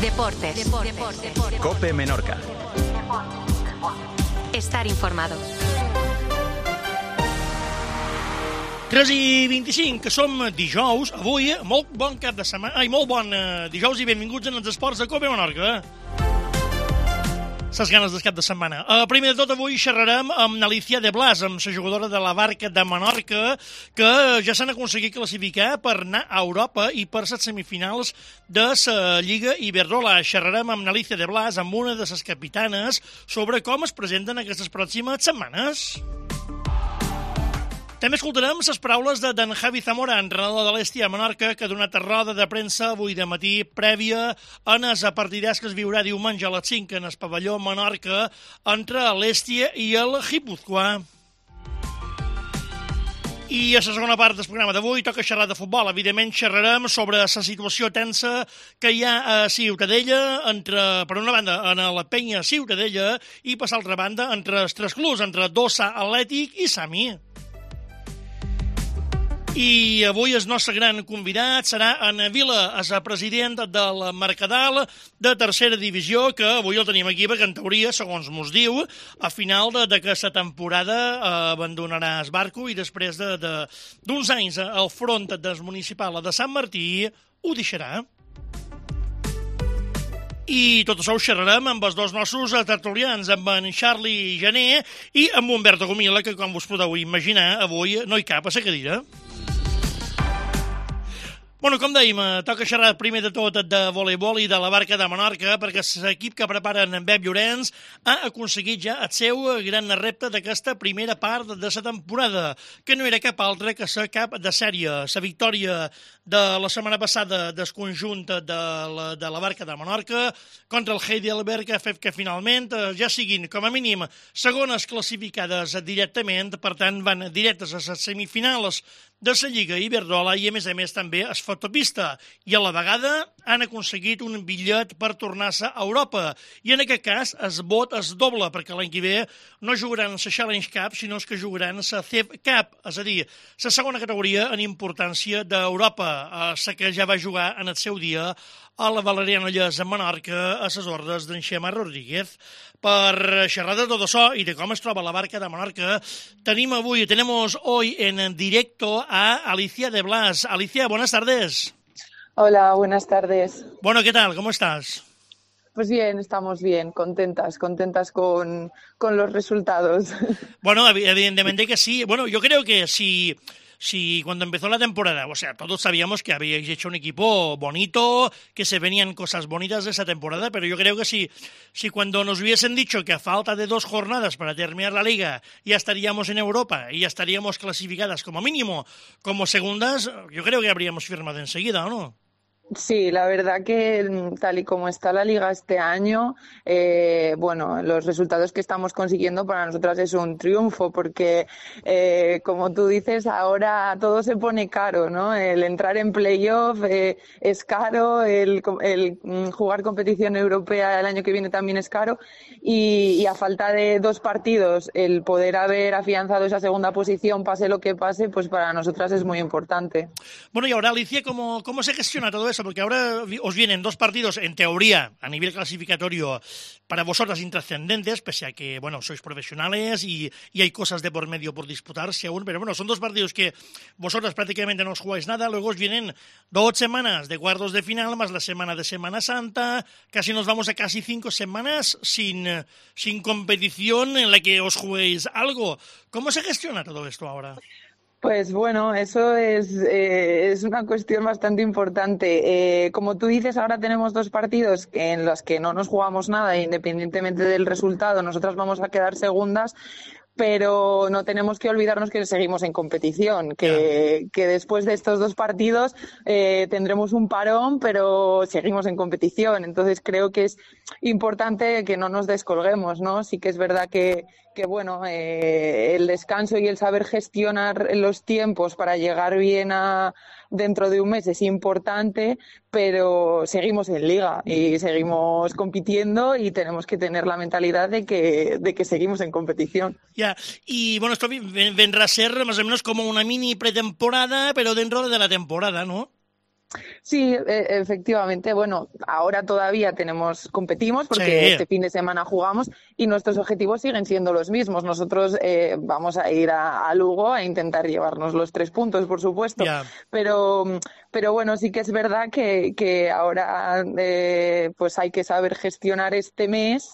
Deportes. COPE Menorca. Estar informado. 3:25, que som dijous. Avui, molt bon cap de setmana. Molt bon dijous i benvinguts en els esports de COPE Menorca. Ses ganes del cap de setmana. Primer de tot, avui xerrarem amb Alicia de Blas, amb la jugadora de la Barca de Menorca, que ja s'han aconseguit classificar per anar a Europa i per les semifinals de la Lliga Iberdrola. Xerrarem amb Alicia de Blas, amb una de les capitanes, sobre com es presenten aquestes pròximes setmanes. També escoltarem les paraules d'en Javi Zamora, entrenador de l'Hèstia a Menorca, que ha donat roda de premsa avui de matí prèvia en el partidàs que es viurà diumenge a les 5 en el pavelló Menorca entre l'Hèstia i el Guipúzcoa. I a la segona part del programa d'avui toca xerrar de futbol. Evidentment xerrarem sobre la situació tensa que hi ha a Ciutadella, per una banda, en la penya Ciutadella, i per l'altra banda, entre els tres clubs, entre Dossa, Atlètic i Sami. I avui el nostre gran convidat serà en Vila, el president del Mercadal de tercera divisió, que avui el tenim aquí perquè, en teoria, segons mos diu, a final d'aquesta temporada abandonarà el barco i després d'uns anys al front del municipal de Sant Martí ho deixarà. I tot això ho xerrarem amb els dos nostres tertulians, amb en Charlie Jané i amb Humberto Gomila, que, com us podeu imaginar, avui no hi cap a la cadira. Bueno, com dèiem, toca xerrar primer de tot de voleibol i de la Barca de Menorca, perquè l'equip que preparen en Pep Llorenç ha aconseguit ja el seu gran repte d'aquesta primera part de la temporada, que no era cap altra que la cap de sèrie. La victòria de la setmana passada del conjunt de la Barca de Menorca contra el Heidelberg ha fet que finalment ja siguin, com a mínim, segones classificades directament, per tant van directes a les semifinals de la Lliga Iberdrola i, a més també es fotopista. I a la vegada han aconseguit un bitllet per tornar-se a Europa. I en aquest cas el vot es doble, perquè l'any que ve no jugaran la Challenge Cup, sinó que jugaran la CEF Cup, és a dir, la segona categoria en importància d'Europa, la que ja va jugar en el seu dia a la Valeriana Lles a Menorca a les ordres d'en Xema Rodríguez. Per xerrar de tot això i de com es troba la Barca de Menorca, tenemos hoy en directo a Alicia de Blas. Alicia, buenas tardes. Hola, buenas tardes. Bueno, ¿qué tal? ¿Cómo estás? Pues bien, estamos bien, contentas con los resultados. Bueno, evidentemente que sí. Bueno, yo creo que si cuando empezó la temporada, o sea, todos sabíamos que habíais hecho un equipo bonito, que se venían cosas bonitas de esa temporada, pero yo creo que si cuando nos hubiesen dicho que a falta de 2 jornadas para terminar la liga ya estaríamos en Europa y ya estaríamos clasificadas como mínimo como segundas, yo creo que habríamos firmado enseguida, ¿o no? Sí, la verdad que tal y como está la liga este año, los resultados que estamos consiguiendo para nosotras es un triunfo porque, como tú dices, ahora todo se pone caro, ¿no? El entrar en playoff es caro, el jugar competición europea el año que viene también es caro y a falta de 2 partidos el poder haber afianzado esa segunda posición, pase lo que pase, pues para nosotras es muy importante. Bueno, y ahora, Alicia, ¿cómo se gestiona todo eso? Porque ahora os vienen 2 partidos, en teoría, a nivel clasificatorio, para vosotras intrascendentes, pese a que, bueno, sois profesionales y hay cosas de por medio por disputarse aún, pero bueno, son 2 partidos que vosotras prácticamente no os jugáis nada, luego os vienen 2 semanas de cuartos de final, más la semana de Semana Santa, casi nos vamos a casi 5 semanas sin competición en la que os juguéis algo. ¿Cómo se gestiona todo esto ahora? Pues bueno, eso es una cuestión bastante importante. Como tú dices, ahora tenemos 2 partidos en los que no nos jugamos nada, independientemente del resultado, nosotras vamos a quedar segundas, pero no tenemos que olvidarnos que seguimos en competición, que después de estos 2 partidos tendremos un parón, pero seguimos en competición. Entonces creo que es importante que no nos descolguemos, ¿no? Sí que es verdad que el descanso y el saber gestionar los tiempos para llegar bien a dentro de un mes es importante, pero seguimos en liga y seguimos compitiendo y tenemos que tener la mentalidad de que seguimos en competición. Ya, y bueno, esto vendrá a ser más o menos como una mini pretemporada, pero dentro de la temporada, ¿no? Sí, efectivamente. Bueno, ahora todavía competimos porque este fin de semana jugamos y nuestros objetivos siguen siendo los mismos. Nosotros vamos a ir a Lugo a intentar llevarnos los 3 puntos, por supuesto. Yeah. Pero bueno, sí que es verdad que ahora pues hay que saber gestionar este mes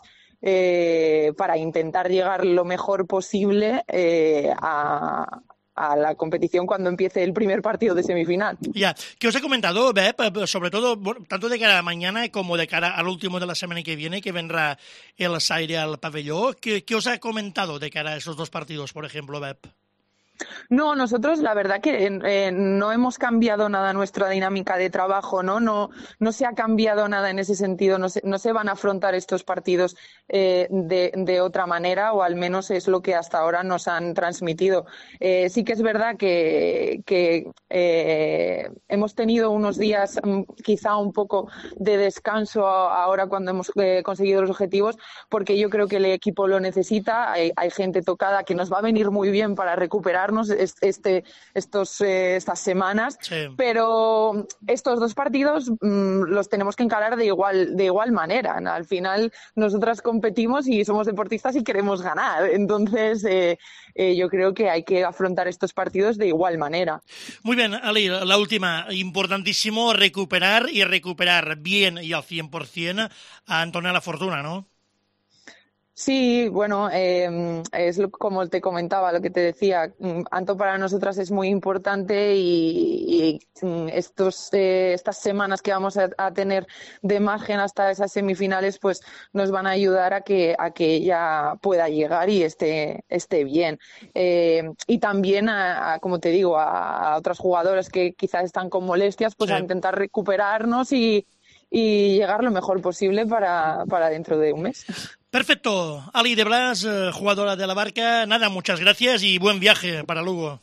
para intentar llegar lo mejor posible a la competición cuando empiece el primer partido de semifinal. Ya, ¿qué os he comentado, Beb? Sobre todo, tanto de cara a mañana como de cara al último de la semana que viene, que vendrá el Zaire al pabellón. ¿Qué os ha comentado de cara a esos 2 partidos, por ejemplo, Beb? No, nosotros la verdad que no hemos cambiado nada nuestra dinámica de trabajo, ¿no? No se ha cambiado nada en ese sentido, no se van a afrontar estos partidos de otra manera, o al menos es lo que hasta ahora nos han transmitido. Sí que es verdad que hemos tenido unos días quizá un poco de descanso ahora cuando hemos conseguido los objetivos, porque yo creo que el equipo lo necesita, hay gente tocada que nos va a venir muy bien para recuperar estas semanas, sí. Pero estos 2 partidos los tenemos que encarar de igual manera. Al final nosotras competimos y somos deportistas y queremos ganar, entonces yo creo que hay que afrontar estos partidos de igual manera. Muy bien, Ali, la última, importantísimo recuperar bien y al 100% a Antonella Fortuna, ¿no? Sí, bueno, es como te comentaba, lo que te decía, Anto para nosotras es muy importante y estas semanas que vamos a tener de margen hasta esas semifinales, pues nos van a ayudar a que ella pueda llegar y esté bien. Y también, como te digo, a otras jugadoras que quizás están con molestias, pues sí, a intentar recuperarnos y llegar lo mejor posible para dentro de un mes. Perfecto. Ali de Blas, jugadora de la Barca. Nada, muchas gracias y buen viaje para Lugo.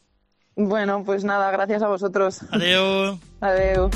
Bueno, pues nada, gracias a vosotros. Adeu. Adeu.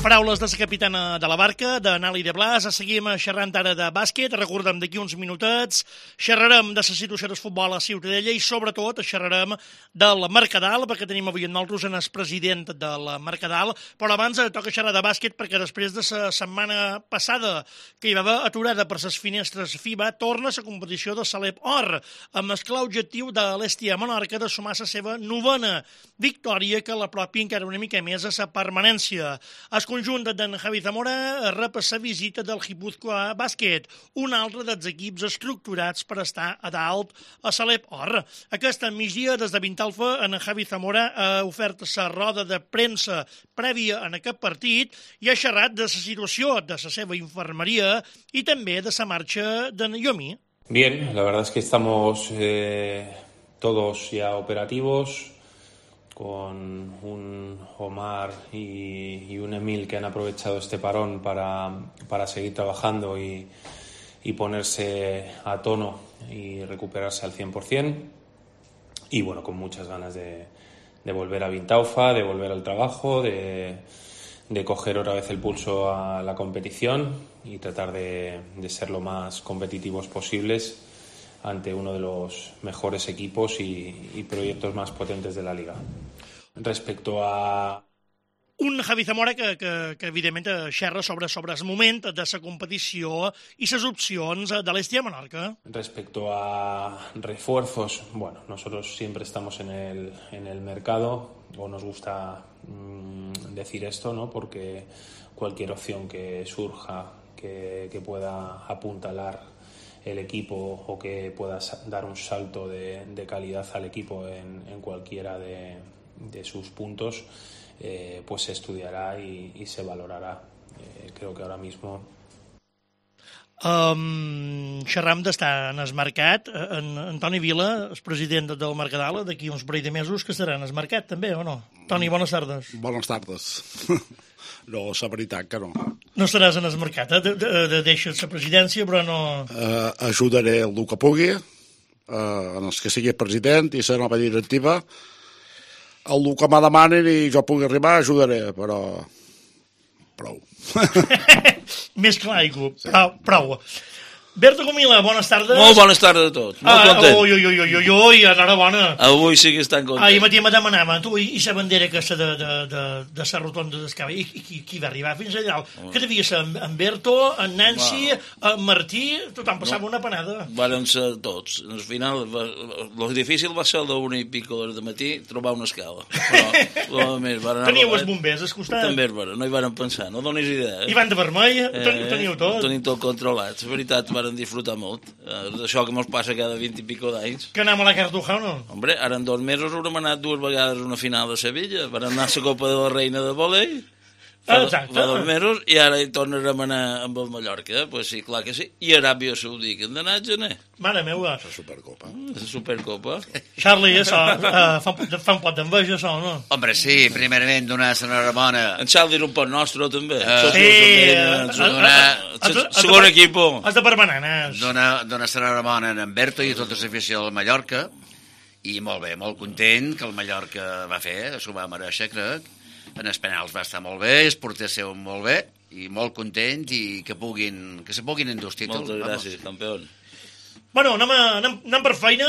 Paraules de la capitana de la Barca, de Nali de Blas. Seguim xerrant ara de bàsquet. Recordem d'aquí uns minutets. Xerrarem de la situació del futbol a Ciutadella i sobretot xerrarem del Mercadal, perquè tenim avui amb nosaltres el president del Mercadal. Però abans toca xerrar de bàsquet perquè després de la setmana passada que hi va haver aturada per les finestres FIBA, torna la competició de Salep Or, amb el clar objectiu de l'Estia Menorca de sumar la seva 9a victòria que l'apropi encara una mica més a la permanència. El conjunt d'en Javi Zamora rep la visita del Guipúzcoa Bàsquet, un altre dels equips estructurats per estar a dalt a Salep Or. Aquesta migdia, des de Vintalfa, en Javi Zamora ha ofert la roda de premsa prèvia en aquest partit i ha xerrat de la situació de la seva infermeria i també de la marxa d'en Yomi. Bien, la verdad es que estamos todos ya operativos, con un Omar y un Emil que han aprovechado este parón para seguir trabajando y ponerse a tono y recuperarse al 100%. Y bueno, con muchas ganas de volver a Vintaufa, de volver al trabajo, de coger otra vez el pulso a la competición y tratar de ser lo más competitivos posibles ante uno de los mejores equipos y proyectos más potentes de la Liga. Respecto a... Un Javi Zamora que evidentment xerra sobre el moment de la competició i les opcions de l'Estia Menorca. Respecto a refuerzos, bueno, nosotros siempre estamos en el mercado, o nos gusta decir esto, ¿no? Porque cualquier opción que surja que pueda apuntalar el equipo o que pueda dar un salto de calidad al equipo en cualquiera de sus puntos, pues se estudiará y se valorará. Creo que ahora mismo... Xerram d'estar en el mercat. Toni Vila, el president del Mercadal, d'aquí uns parell de mesos que estarà en el mercat també, o no? Toni, bones tardes. Bones tardes. No, la veritat que no. No estaràs en el mercat, deixes la presidència, però no... Ajudaré el que pugui, en els que sigui president i la nova directiva. El que me demanen i jo pugui arribar, ajudaré, però prou. Més clar, prou. Berto Comila, bones tardes. Molt bones tardes a tots, molt content. Ui, enhorabona. Avui sí que estan contents. Ahir matí me demanava, tu, i la bandera aquesta de la rotonda d'Escava, i qui va arribar fins allà? Que devia ser en Berto, en Nancy, en Martí, tothom passava una panada. Varen ser tots. Al final, lo difícil va ser a l'una i pico de matí trobar una escala. Però, més, teníeu els bombers al costat? També, no hi varen pensar, no donis idea. I van de vermell, teniu tot? Tenim tot controlat, la veritat, varen disfrutar molt. Això que mos passa cada 20 i pico d'anys. Que anem a la Cartuja o no? Hombre, ara en 2 mesos haurem anat 2 vegades a una final de Sevilla, varen anar a la Copa de la Reina de Volei, fa 2 mesos, i ara hi tornarem a anar amb el Mallorca, pues sí, clar que sí, i Aràbia Saudí, que hem d'anar a gener. Mare meva. La Supercopa. La Supercopa. Charlie, això, fa un pot d'enveja, això, no? Hombre, sí, primerament donar l'enhorabona. En Charlie era un pot nostre, també. Segon equip. Has de per bananes. Donar l'enhorabona a en Berto i a tota l'afició del Mallorca, i molt bé, molt content que el Mallorca va fer, s'ho va mereixer, crec. En els penals va estar molt bé, els porters seu molt bé, i molt content, i que se puguin endur els títols. Moltes gràcies, campió. Bueno, anem per feina.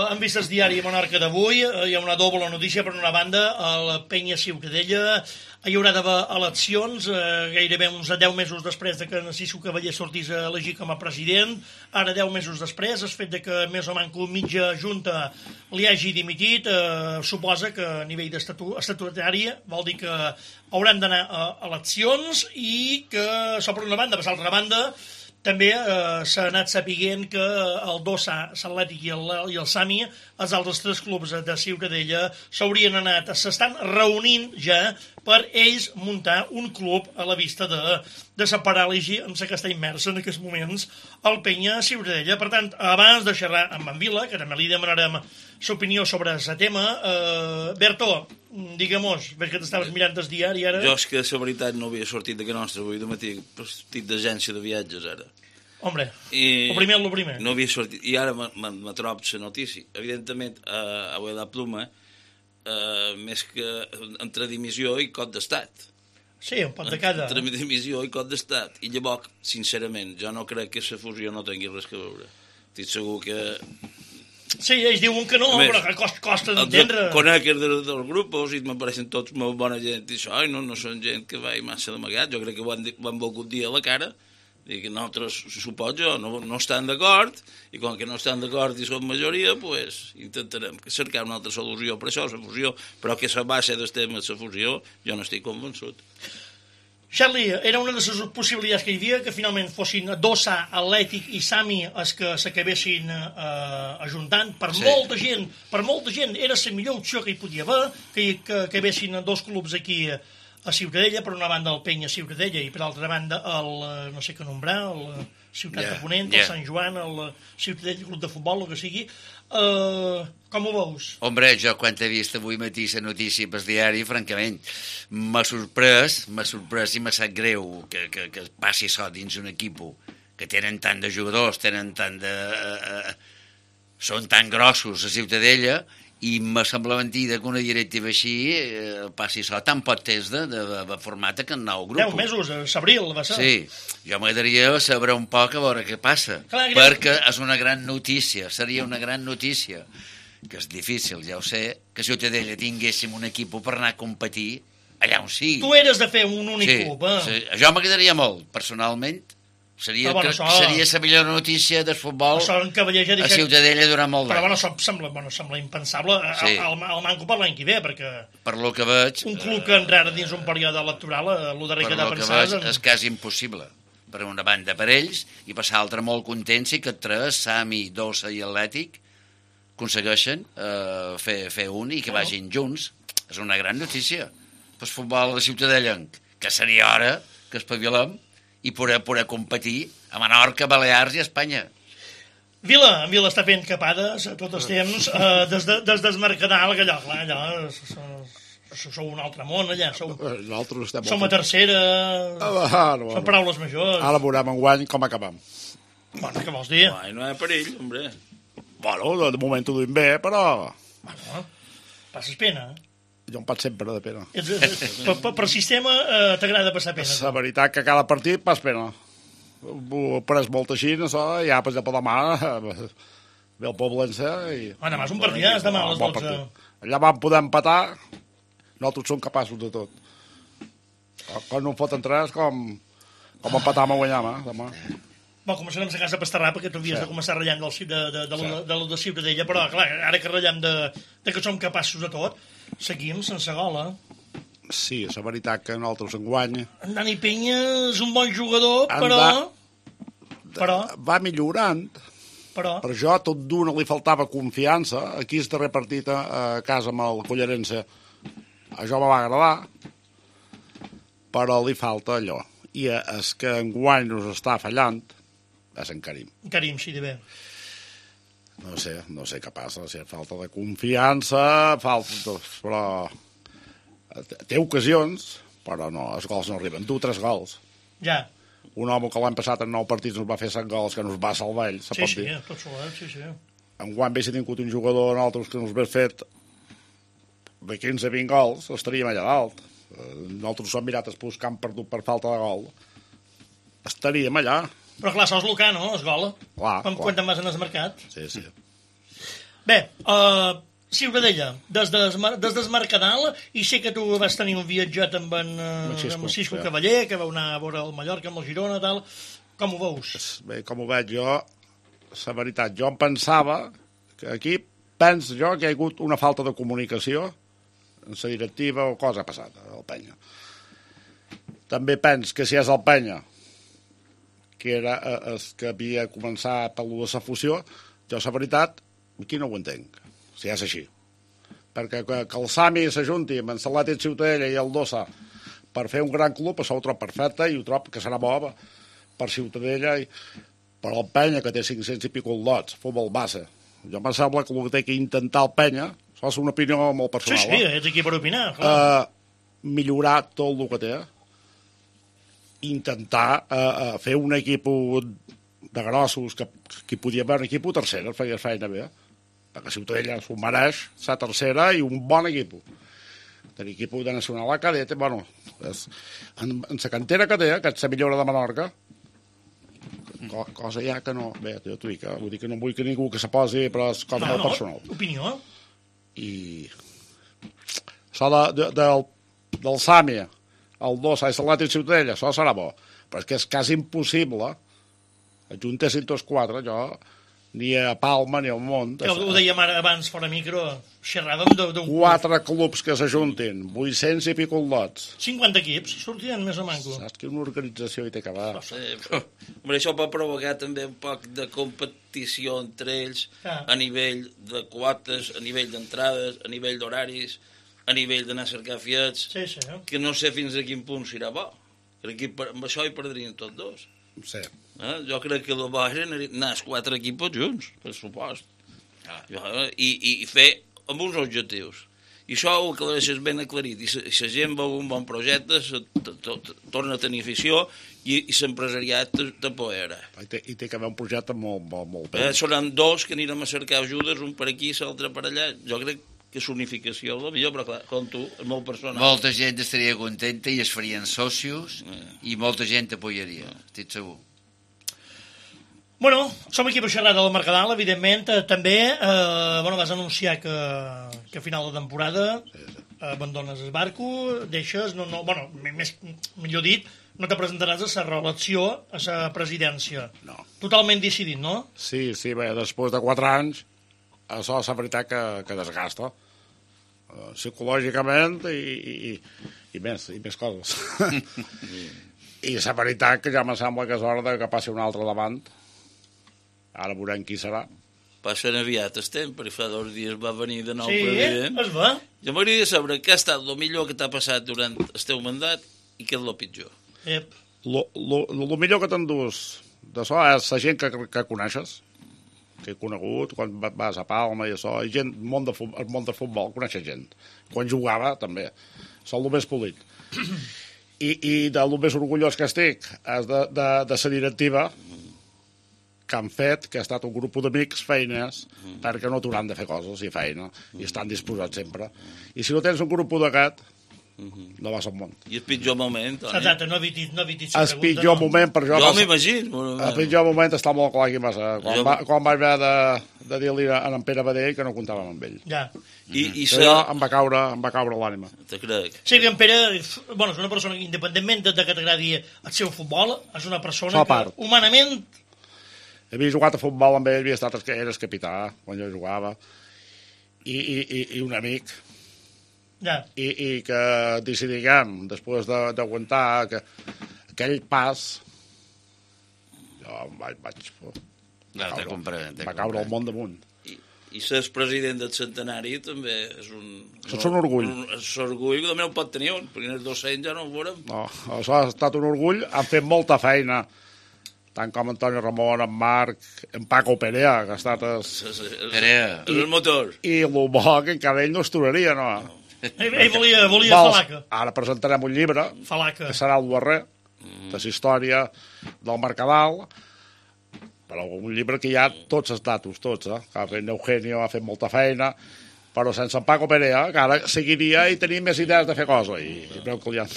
Hem vist el diari Menorca d'avui. Hi ha una doble notícia. Per una banda, a la Penya Ciutadella hi haurà d'haver eleccions gairebé uns 10 mesos després de que Narciso Cavaller sortís a elegir com a president. Ara, 10 mesos després, el fet de que més o manco mitja junta li hagi dimitit suposa que a nivell estatutari vol dir que hauran d'anar a eleccions i que, això per una banda, per l'altra banda, també s'ha anat sapiguent que el Dossa, l'Atlètic i el Sami, els altres 3 clubs de Ciutadella, s'estan reunint ja per ells muntar un club a la vista de la paràlisi en la que està immersa en aquests moments el Penya Ciutadella. Per tant, abans de xerrar amb en Vila, que també li demanarem l'opinió sobre el tema, Berto, digue'm-nos, veig que t'estaves mirant el diari ara. Jo és que la veritat no havia sortit de que nostre avui de matí, estic d'agència de viatges ara. Hombre, el primer. No havia sortit, i ara me trobo la notícia. Evidentment, a la pluma, més que entre dimissió i cop d'estat. Sí, un pot de cada. Entre dimissió i cop d'estat. I llavors, sincerament, jo no crec que la fusió no tingui res a veure. Estic segur que... Sí, ells diuen que no, però costa d'entendre. Conec dels grups i m'apareixen tots molt bona gent i això, no són gent que va massa d'amagat. Jo crec que ho han volgut dir a la cara, i que nosaltres, suposo, no estan d'acord, i com que no estan d'acord i som majoria, pues intentarem cercar una altra solució per això, la fusió, però que la base del tema de la fusió jo no estic convençut. Charlie, era una de les possibilitats que hi havia, que finalment fossin Dossa, Atlètic i Sami els que s'acabessin ajuntant. Per molta gent era la millor opció que hi podia haver, que acabessin 2 clubs aquí a Ciutadella, per una banda el Penya Ciutadella i per altra banda el, no sé què nombrar, el Ciutat de Ponent, el Sant Joan, el Ciutadella Club de Futbol, el que sigui. Com ho veus? Hombre, jo quan he vist avui matí la notícia pel diari, francament, m'ha sorprès i m'ha sap greu que passi això dins un equip que tenen tant de jugadors, són tan grossos a Ciutadella, i me sembla mentida que una directiva així passi això tan poc temps de format que en nou grup. 10 mesos, a l'abril va ser. Sí, jo m'agradaria saber un poc a veure què passa, perquè és una gran notícia, seria una gran notícia, que és difícil, ja ho sé, que a Ciutadella tinguéssim un equip per anar a competir allà on sigui. Tu eres de fer un únic club, eh? Sí, això m'agradaria molt, personalment. Seria la millor notícia del futbol a Ciutadella durant molt d'anys. Però sembla impensable el manco per l'any que ve, perquè per lo que veig, un club que entrarà dins un període electoral, el darrer que ha de pensar... Per lo que veig és quasi impossible. Per una banda per ells, i per l'altra molt contents que 3, Sami, Dossa i Atlètic, aconsegueixen fer un i que vagin junts. És una gran notícia pel futbol de Ciutadellenc, que seria hora que espavilem i poder competir a Menorca, Balears i Espanya. En Vila està fent capades a tots els temps, des del Mercadal, que allò, sou un altre món, allà, som a tercera, són paraules majors. Ara veurem enguany com acabem. Bueno, què vols dir? No hi ha perill, hombre. Bueno, de moment ho duim bé, però... Bueno, passes pena, Jo em passo sempre de pena. Per sistema t'agrada passar pena. La veritat que cada partit pas pena. Ho he pres molt així, això, ja per demà ve el Poblense i... Demà és un partidàs, demà a les 12. Allà vam poder empatar, nosaltres som capaços de tot. Quan no en foten 3, com empatam a guanyar, demà. Bon, començarem a casa a pastarrar, perquè tu havies de començar ratllant de lo de Ciutadella, però, clar, ara que ratllem de que som capaços de tot, seguim sense gola. Sí, és la veritat que nosaltres enguany... En Dani Peña és un bon jugador, però... Va millorant, però jo a tot d'una li faltava confiança. Aquí el darrer partit a casa amb el Collarense, això me va agradar, però li falta allò. I és que enguany nos està fallant, és en Karim. Karim, sí, de bé. No sé què passa, si falta de confiança, però... Té ocasions, però no, els gols no arriben. 3 gols. Ja. Un home que l'any passat en 9 partits nos va fer 7 gols, que nos va salvar ell, se pot dir. Tot solet, sí. Enguany si tingut un jugador nosaltres que nos hagués fet de 15-20 gols, estaríem allà dalt. Nosaltres som mirat el camp perdut per falta de gol. Estaríem allà. Però clar, sols l'Ucà, no? Es gola. Clar. Quan vas en el mercat. Sí. Bé, Ciutadella, des del Mercadal, i sé que tu vas tenir un viatget amb en Cisco Cavaller, que vau anar a veure el Mallorca amb el Girona, tal. Com ho veus? Bé, com ho veig jo, la veritat, jo em pensava que aquí penso jo que hi ha hagut una falta de comunicació en la directiva o cosa ha passat al Penya. També penso que si és el Penya, que era el que havia començat per la fusió, jo la veritat, aquí no ho entenc. Si és així. Perquè que el Sami s'ajunti amb en Atlètic Ciutadella i el Dossa per fer un gran club, això ho trobo perfecte i ho trobo que serà bo per Ciutadella i per el Penya, que té 500 i pico lots, futbol base. Jo em sembla que el que té que intentar el Penya, això és una opinió molt personal. Sí, ets aquí per opinar, clar. Millorar tot el que té, intentar fer un equip de grossos, que podia haver un equip tercera, feia feina bé, perquè Ciutadella s'ho mereix, la tercera i un bon equip. Tenir equip de Nacional a cadeta, bueno, en la cantera que té, que és la millora de Menorca, cosa ja que no... Bé, jo t'ho dic, vull dir que no vull que ningú que se posi, però és cosa molt personal. Opinió. I això del Sàmia, el Dossa i Atlètic Ciutadella, això serà bo, però és que és quasi impossible ajuntessin tots 4, jo... ni a Palma ni al món. Ho dèiem abans, fora micro, xerràvem d'un... 4 clubs que s'ajuntin, 800 i pico lots. 50 equips, sortien més o manco. Saps que una organització hi té que veure. Però això pot provocar també un poc de competició entre ells a nivell de quotes, a nivell d'entrades, a nivell d'horaris, a nivell d'anar a cercar fiets, que no sé fins a quin punt serà bo. Perquè amb això hi perdrien tots dos. Sí. Jo crec que el bo era anar els 4 equips junts, per supost. I fer amb uns objectius. I això ho aclareixes ben aclarit. I la gent veu un bon projecte, torna a tenir afició i l'empresariat t'apoera. I té que haver un projecte molt bé. Seran 2 que anirem a cercar ajudes, un per aquí, l'altre per allà. Jo crec que és unificació, el millor, però clar, com tu, és molt personal. Molta gent estaria contenta i es farien socios i molta gent t'apoyaria, estic segur. Bueno, som aquí per xerrar del Mercadal, evidentment. També vas anunciar que a final de temporada abandones el barco, deixes, millor dit, no te presentaràs a la reelecció a la presidència. No. Totalment decidit, no? Sí, bé, després de 4 anys, això és la veritat que desgasta. Psicològicament i més coses. I la veritat que ja me sembla que és hora que passi un altre davant. Ara veurem qui serà. Passen aviat el temps, perquè fa 2 dies va venir de nou president. Sí, es va. Jo m'agradaria saber què ha estat el millor que t'ha passat durant el teu mandat i què és el pitjor. El millor que t'endús d'això és la gent que coneixes, que he conegut, quan vas a Palma i això, i gent, el món de futbol, coneixes gent. Quan jugava, també. Són el més polit. I del més orgullós que estic és de la directiva que han fet, que ha estat un grup d'amics feines, perquè no t'hauran de fer coses i feina, i estan disposats sempre. I si no tens un grup d'aquest, No va ser un munt. I el pitjor moment, Toni? Exacte, no evitis la pregunta. El pitjor moment per jo... Jo m'imagino. El pitjor moment està molt clar qui va ser. Quan vaig haver de dir-li a en Pere Badell que no comptàvem amb ell. Ja. I jo em va caure l'ànima. Te crec. Sí, que en Pere, bueno, és una persona que, independentment de que t'agradi el seu futbol, és una persona que, humanament... Havia jugat a futbol amb ell, eres capità quan jo jugava, i un amic. Ja. I que decidiguem, després d'aguantar aquell pas, jo vaig caure el món damunt. I ser president del centenari també és un... És un orgull. És un orgull que també no pot tenir un, perquè els 200 ja no ho veurem. No, això ha estat un orgull, han fet molta feina, tant com Antoni Ramon, en Marc, en Paco Perea, que ha estat el motor. I el bo que encara ell no es turaria, no? Ell volia Falaca. Ara presentarem un llibre, Falaca, que serà el darrer, de la història del Mercadal, però un llibre que hi ha tots els datos, tots, que ha fet Eugenio, ha fet molta feina, però sense en Paco Perea, que ara seguiria i tenia més idees de fer coses, i veu que li han...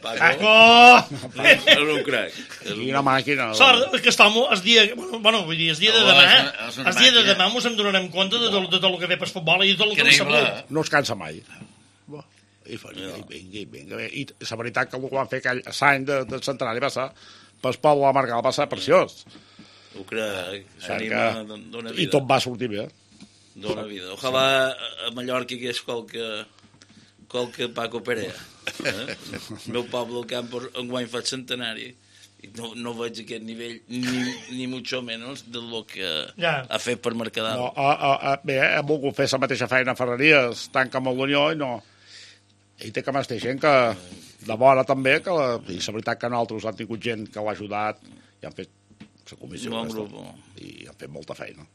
Paco! És un crac. Quina màquina. Sort que estem el dia... Bueno, vull dir, el dia de demà, el dia de demà ens en donarem compte de tot el que ve per futbol i de tot el que ve sabut. No es cansa mai. Vinga. I la veritat que el que van fer aquell any del centenari va ser pel poble de la Marca, va ser preciós. Ho crec, s'anima d'una vida. I tot va sortir bé. D'una vida. Ojalà a Mallorca hi hagués qualque Paco Perea. El meu poble, el camp, enguany fa el centenari. I no veig aquest nivell, ni mucho menos de lo que ha fet per Mercadal. Bé, hem volgut fer la mateixa feina a Ferreries, tant com a l'Unió, i no... Ell té que més té gent que de bona també, i la veritat que nosaltres han tingut gent que l'ha ajudat i han fet la comissió i han fet molta feina.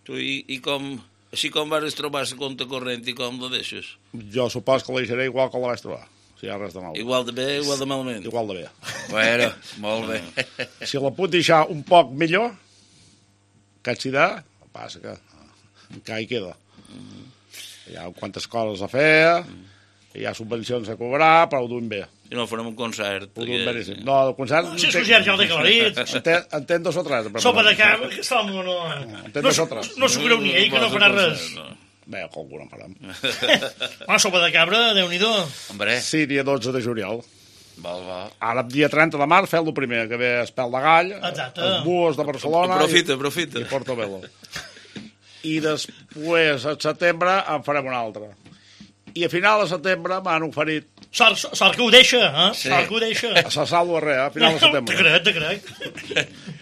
Tu, i com, així com vas trobar la compte corrent i com la deixes? Jo supos que la deixaré igual que la vaig trobar, si hi ha res de mal. Igual de bé, igual de malament? Igual de bé. Bueno, molt bé. Si la puc deixar un poc millor, que si de, passa que encara hi queda. Hi ha quantes coses a fer... Hi ha subvencions a cobrar, però ho duim bé. I no farem un concert. Ho duim beníssim. No, el concert... Si és concert ja ho té aclarit. En 2 o 3. Sopa de cap, que està no... No s'ho creu ni ell, que no farà res. Bé, alguna en farem. Sopa de cabra, Déu-n'hi-do. Sí, dia 12 de juliol. Va. Ara, dia 30 de març, feu el primer, que ve Espel de Gall, els Buos de Barcelona... Aprofita. I Portobello. I després, al setembre, en farem un altre. I a final de setembre m'han oferit... Sort que ho deixa, eh? Sí. Sort que ho deixa. A la Salvo Arrea, a final de setembre. Te crec.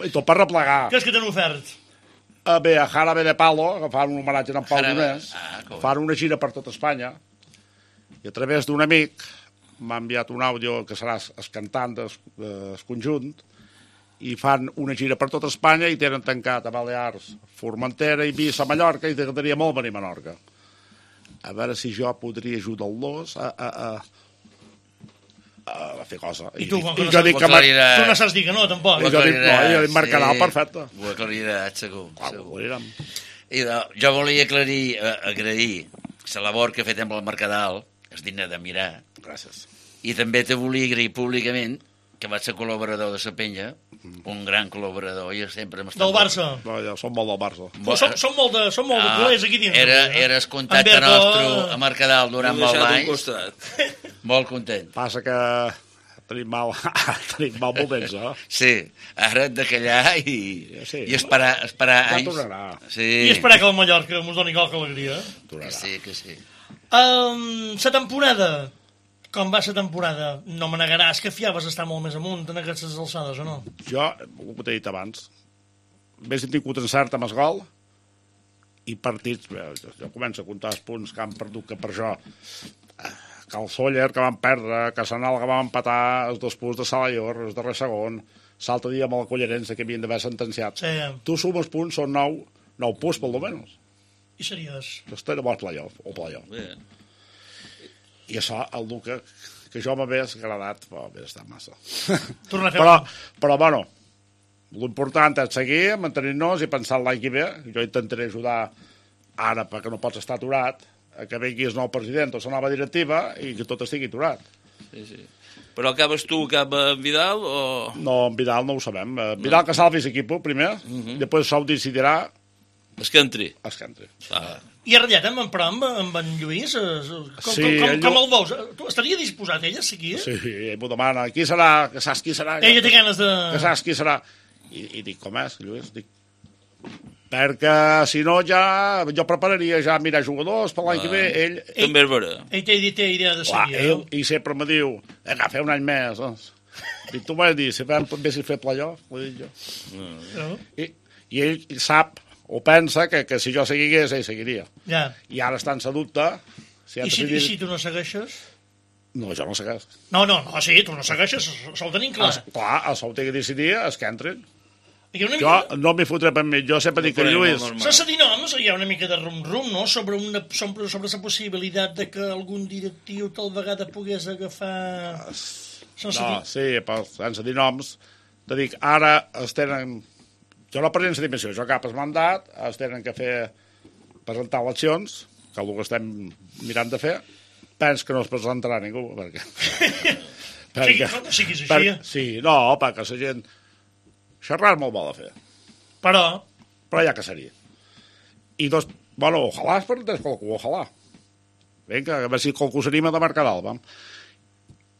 I tot per replegar. Què és que t'han ofert? Bé, a Jarabe de Palo, que fan un homenatge a en Pau Donés, fan una gira per tot Espanya, i a través d'un amic m'ha enviat un àudio que serà el cantant del conjunt, i fan una gira per tot Espanya i tenen tancat a Balears, Formentera, Eivissa, Mallorca, i t'agradaria molt venir a Menorca. A veure si jo podria ajudar-los a fer cosa. I tu, com que tu no saps dir que no, tampoc. I jo dic, Mercadal, perfecte. Ho aclariràs, segur. I jo volia agrair la labor que he fet amb el Mercadal, és digne de mirar. Gràcies. I també te volia agrair públicament que vaig ser col·laborador de la penya, un gran col·laborador, i sempre m'està... Del Barça. No, ja som molt del Barça. Som molt de culers aquí dins. Eres contacte nostre a Mercadal durant molts anys. Molt content. Passa que tenim mal moments, eh? Sí, ara hem de callar i esperar anys. Ja tornarà. I esperar que el Mallorca mos doni qualque alegria. Que sí. La temporada... Com va la temporada? No me negaràs que fiaves estar molt més amunt en aquestes alçades, o no? Jo, ho t'he dit abans, més he tingut encert amb el gol i partits... Jo començo a comptar els punts que han perdut que per això. Que el Sóller, que van perdre, que Sanal, que van empatar, els 2 punts de Salallor, el darrer segon, l'altre dia amb el Collerense, que havien d'haver sentenciat. Sí. Tu sumes punts, són 9 punts, pel almenys. I series? Estem a playoff, o playoff. I això, el que jo m'hagués agradat, hauria estat massa. Però, bueno, l'important és seguir, mantenir-nos i pensar l'any que ve. Jo intentaré ajudar ara perquè no pots estar aturat, que vingui el nou president o la nova directiva i que tot estigui aturat. Sí. Però acabes tu, acaba en Vidal o...? No, en Vidal no ho sabem. Vidal que salvi l'equip primer, després això ho decidirà Es que entri. I ha ratllat amb en Lluís? Com el veus? Estaria disposat ell a seguir? Sí, ell m'ho demana. Qui serà? Que saps qui serà? Ella té ganes de... Que saps qui serà? I dic, com és, Lluís? Dic, perquè si no ja jo prepararia ja mirar jugadors per l'any que ve. Ell també és vera. Ell té idea de seguir. I sempre me diu, fer un any més. Dic, tu m'has dit, si fem fer playoff, ho dic jo. I ell sap o pensa que si jo seguigués, ell seguiria. Ja. I ara està en sa dubte. I si tu no segueixes? No, jo no segueix. No, sí, tu no segueixes, això ho tenim clar. Clar, això ho té que decidir, és que entrin. Jo no m'hi fotré per mi, jo sempre dic que Lluís... Sense dir noms, hi ha una mica de rum-rum, no?, sobre la possibilitat de que algun directiu tal vegada pogués agafar... No, sí, però sense dir noms, te dic, ara es tenen... Jo no presento la dimensió, jo cap el mandat, es tenen que presentar eleccions, que és el que estem mirant de fer, penso que no es presentarà ningú, perquè... No siguis així. Sí, no, perquè la gent... Xerrar molt bo de fer. Però ja que seria. I doncs, bueno, ojalà es presentés qualcú, ojalà. Vinga, a veure si qualcú s'anima de marcar dalt,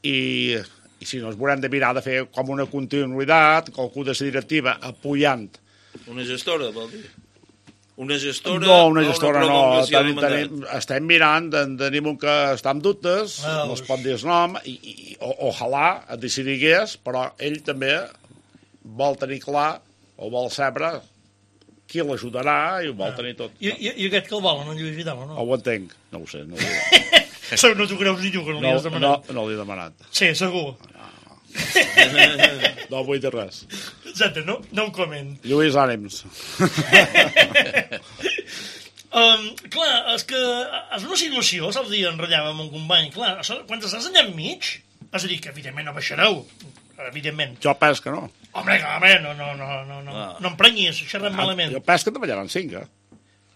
I si no, es veurem de mirar de fer com una continuïtat, qualcú de la directiva apoyant. Una gestora, vol dir? Una gestora? No, una gestora no. Estem mirant, tenim un que està amb dubtes, no es pot dir el nom, i ojalà et decidigués, però ell també vol tenir clar, o vol saber qui l'ajudarà i ho vol tenir tot. I aquest que el volen, en Lluís Vidal, o no? Ho entenc, no ho sé. No t'ho creus ni tu, que no li has demanat. No li he demanat. Sí, segur. No vull dir res. Exacte, no ho coment. Lluís, ànims. Clar, és que és una situació, l'altre dia enrotllava amb un company, clar, quan estàs allà enmig, és a dir, que evidentment no baixareu, evidentment. Jo penso que no. Home, no em prenyis, xerrem malament. Jo penso que en davallaran 5,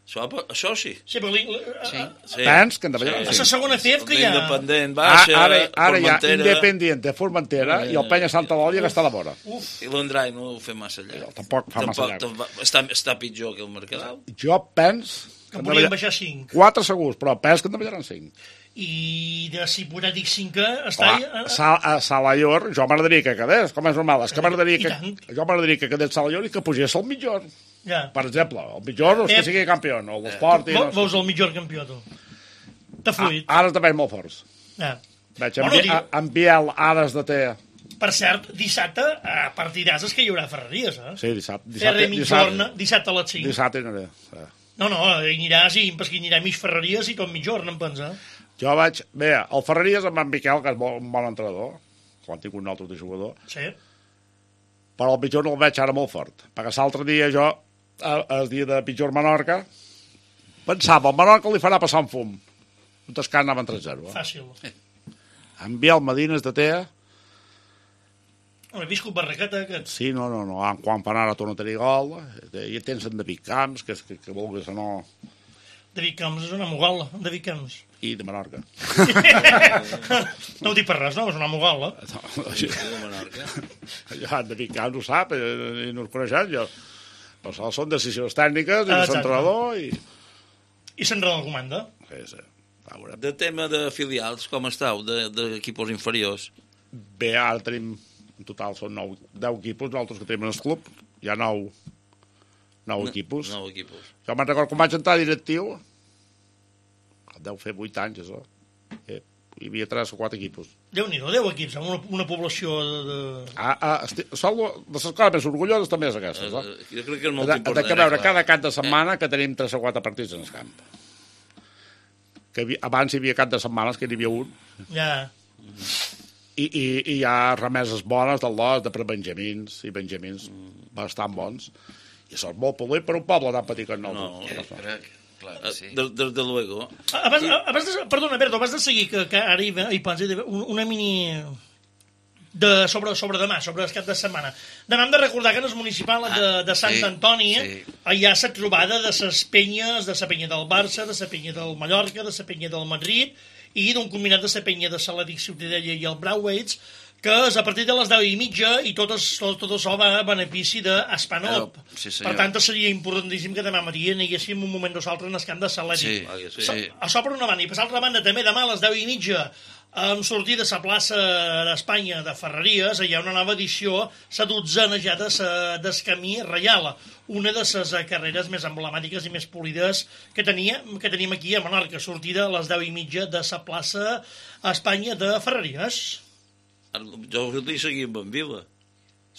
Això sí. Sí, Pens que en davallaran 5. És la segona CEF que hi ha. Independent, baixa, ara hi ha Independiente, Formentera i el Penya Santa Lòlia que està a la vora. I l'Andrai no ho fa massa llarg. Tampoc fa massa llarg. Està pitjor que el Mercadal. Jo penso que podrien baixar 5. 4 segurs, però penso que en davallaran 5. I de si podrà dir 5 està... A Salallor, jo m'agradaria que quedés, com és normal. És que m'agradaria que quedés Salallor i que pugés el Mitjor. Per exemple, el Mitjor és que sigui campió, o l'esport... Veus el Mitjor campió, tu? T'ha fluït. Ara també molt forts. Veig, en Biel, Ares de Té. Per cert, dissabte partiràs que hi haurà ferreries, Sí, dissabte. Ferrer Mitjorna, dissabte a les 5. Dissabte hi aniré. No, hi aniràs i anirà mig ferreries i tot Mitjorna, em pensa. Jo vaig... Bé, el Ferreries amb en Miquel, que és un bon entrenador, quan tinc un altre de jugador, sí. Però el Pitjor no el veig ara molt fort, perquè l'altre dia jo, el dia de Pitjor-Menorca, pensava, el Menorca li farà passar un fum. Un tascat anaven 3-0. Fàcil. En Biel Medines de Tea... He viscut barraqueta, aquest. Sí, no. Quan fan ara torna a tenir gol, i tens en David Camps, que vulguis o no... David Camps és una mogala, David Camps. I de Menorca. No ho dic per res, no? És una mogala. De Menorca. Ja, David Camps ho sap, i no us coneixem, jo. Però són decisions tècniques, i l'entrenador, i... I l'entrenador comanda. Sí. De tema de filials, com estàu, d'equipos inferiors? Bé, ara tenim, en total són 10 equipos, nosaltres que tenim en el club, hi ha 9 equipos. 9 equipos. Jo me'n recordo quan vaig entrar directiu, deu fer 8 anys, això. Hi havia 3 o 4 equipos. Déu-n'hi-do, 10 equips, amb una població de... De les coses més orgulloses també és aquestes, Jo crec que és molt important. De veure cada cap de setmana que tenim 3 o 4 partits en el camp. Abans hi havia cap de setmanes que n'hi havia un. Ja. I hi ha remeses bones del lot, de prebenjamins i benjamins bastant bons. I això és molt polit per un poble tan petit com nosaltres. Claro, sí. Desde luego. Perdona, Berto, abans de seguir, que ara hi pensa una mini sobre demà, sobre el cap de setmana. Demà hem de recordar que en el municipal de Sant Antoni hi ha la trobada de les penyes, de la penya del Barça, de la penya del Mallorca, de la penya del Madrid i d'un combinat de la penya de l'Atlètic Ciutadella i el Brauweids, que és a partir de les 10:30 i tot això va a benefici d'Espanop. Per tant, seria importantíssim que demà matí anéssim un moment nosaltres en el camp de l'Atlètic. Això per una banda. I per l'altra banda, també demà a les 10:30 hem sortit de la plaça d'Espanya de Ferreries, hi ha una nova edició, la 12a ja del Camí Reial, una de les carreres més emblemàtiques i més polides que tenim aquí a Menorca, sortida a les 10:30 de la plaça Espanya de Ferreries. Jo us dic seguir amb en Vila.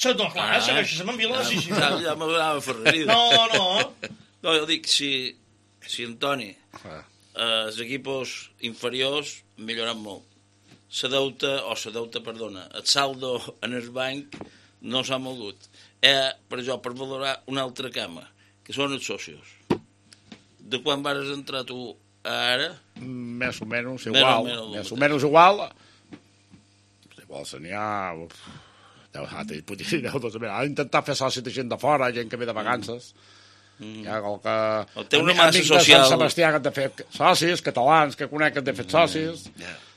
No, clar, segueixes amb en Vila. Ja m'agradava Ferreries. No, jo dic, si Antoni, els equipos inferiors milloran molt. El saldo en el banc no s'ha mogut. Per valorar una altra cama, que són els socios. De quan vas entrar tu ara? Més o menys igual. Més o menys igual. Igual se n'hi ha... Ha intentat fer soci de gent de fora, gent que ve de vacances. Hi ha qualque... Té una massa social. Sant Sebastià que han de fer socis, catalans que conec que han de fer socis.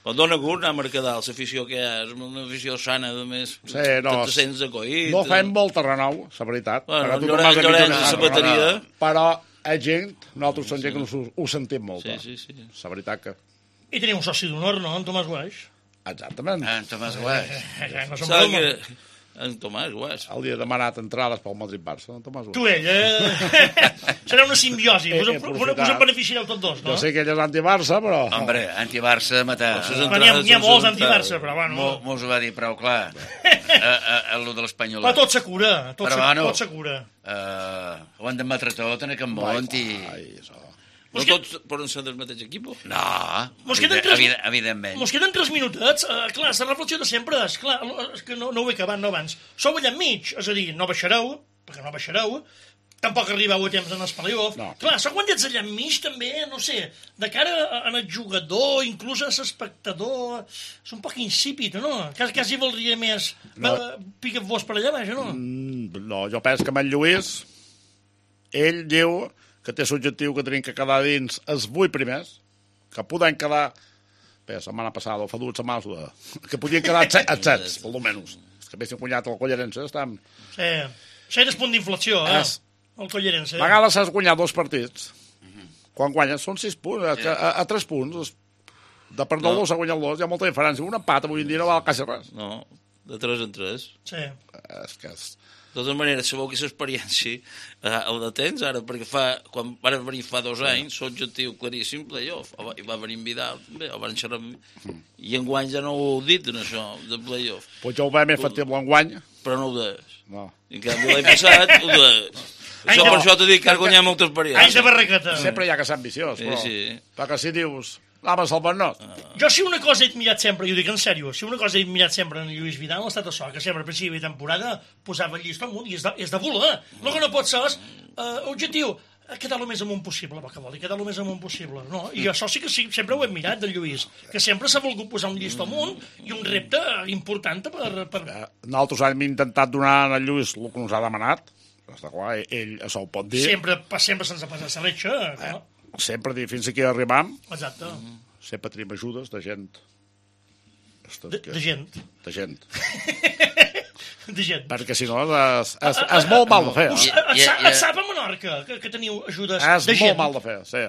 El dona gust anar a Mercadal, l'afició que hi ha, és una afició sana, de més, no, te sents acollit. No fem molt terrenou, la veritat. Llorenç, la bateria. Però és gent, nosaltres som gent que ho sentim molt. Sí. La veritat que... I teniu un soci d'honor, no, en Tomàs Guaix? Exactament. En Tomàs Guaix. No som broma. En Tomàs Guaix. El dia demanat entrades pel Madrid-Barça, en Tomàs Guaix. Tu ell, serà una simbiosi, us en beneficiareu tots dos, no? Jo sé que ell és anti-Barça, però... Hombre, anti-Barça matar. N'hi ha molts anti-Barça, però bueno... Mos ho va dir prou clar, el de l'Espanyol. Però tot se cura, tot se cura. Ho han d'admetre tot en aquest món i... No tots poden ser del mateix equip? No, evidentment. Mos queden 3 minutets. Clar, la reflexió de sempre és, clar, és que no ho he acabat, no abans. Sou allà enmig, és a dir, no baixareu, perquè no baixareu, tampoc arribeu a temps en el playoff. No. Clar, sou quan ets allà enmig, també, no sé, de cara al jugador, inclús a l'espectador, és un poc insípid, no? Quasi voldria més picar-vos per allà baix, no? No, jo penso que amb en Lluís, ell diu que té l'objectiu que tenim que quedar dins els 8 primers, que podem quedar... Bé, la setmana passada, o fa 2 setmanes, que podien quedar els 7, per almenys. És que haguéssim guanyat el Collerense, estem... Sí, això és punt d'inflexió, el Collerense. A vegades has guanyat 2 partits. Quan guanyes són 6 punts, a 3 punts. De perdó s'ha guanyat 2, hi ha molta diferència. Un empat avui en dia no val quasi res. No, de 3 en 3. Sí. És que és... De totes maneres, sabeu que l'experiència el de temps, ara, perquè quan van venir fa 2 anys, l'objectiu claríssim, playoff, i va venir en Vidal, també, el van xerrar i enguany ja no ho heu dit, en això, de playoff. Pues jo ho veig més factible enguany. Però no ho deies. No. En canvi, l'any passat, ho deies. Això per això t'ho dic, que has guanyat molta experiència. Anys de barraqueta. Sempre hi ha que ser ambiciós, però... Perquè si dius... L'home salvar-nos. Jo si una cosa he admirat sempre, i ho dic en sèrio, si una cosa he admirat sempre en Lluís Vidal ha estat això, que sempre al principi de temporada posava el llistó amunt i és de voler. El que no pot ser és objectiu, quedar el més amunt possible, que vol dir quedar el més amunt possible, no? I això sí que sempre ho he admirat del Lluís, que sempre s'ha volgut posar un llistó amunt i un repte important per... Nosaltres hem intentat donar al Lluís el que ens ha demanat, està clar, ell això ho pot dir. Sempre se'ns ha passat la letxa, no? Sempre fins aquí arribam. Exacte. Sempre tenim ajudes de gent. De gent. De gent. De gent. Perquè si no és molt mal de fer. Et sap a Menorca que teniu ajudes de gent? És molt mal de fer, sí.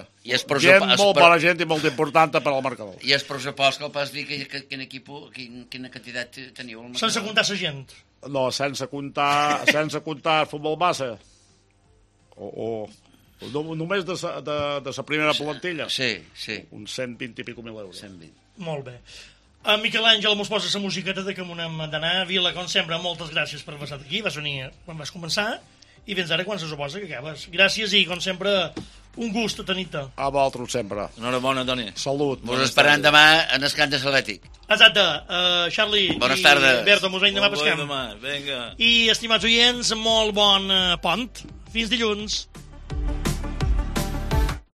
Gent molt bona gent i molt important per al marcador. I el pressupost que el pas dir quin equip, quina quantitat teniu al marcador? Sense comptar la gent? No, sense comptar futbol base. Només de la primera plantilla. Sí. Uns 120 i pico mil euros. 120. Molt bé. Miquel Àngel, mos posa la musiqueta de que m'ho anem d'anar. Vila, com sempre, moltes gràcies per haver estat aquí. Vas venir quan vas començar i vens ara quan se suposa que acabes. Gràcies i, com sempre, un gust tenir-te. A vosaltres sempre. Enhorabona, Toni. Salut. Vos esperant demà en el camp de l'Atlètic. Exacte. Charlie Bones tardes. I Berto, mos veiem demà pescant. Vinga. I, estimats oients, molt bon pont. Fins dilluns.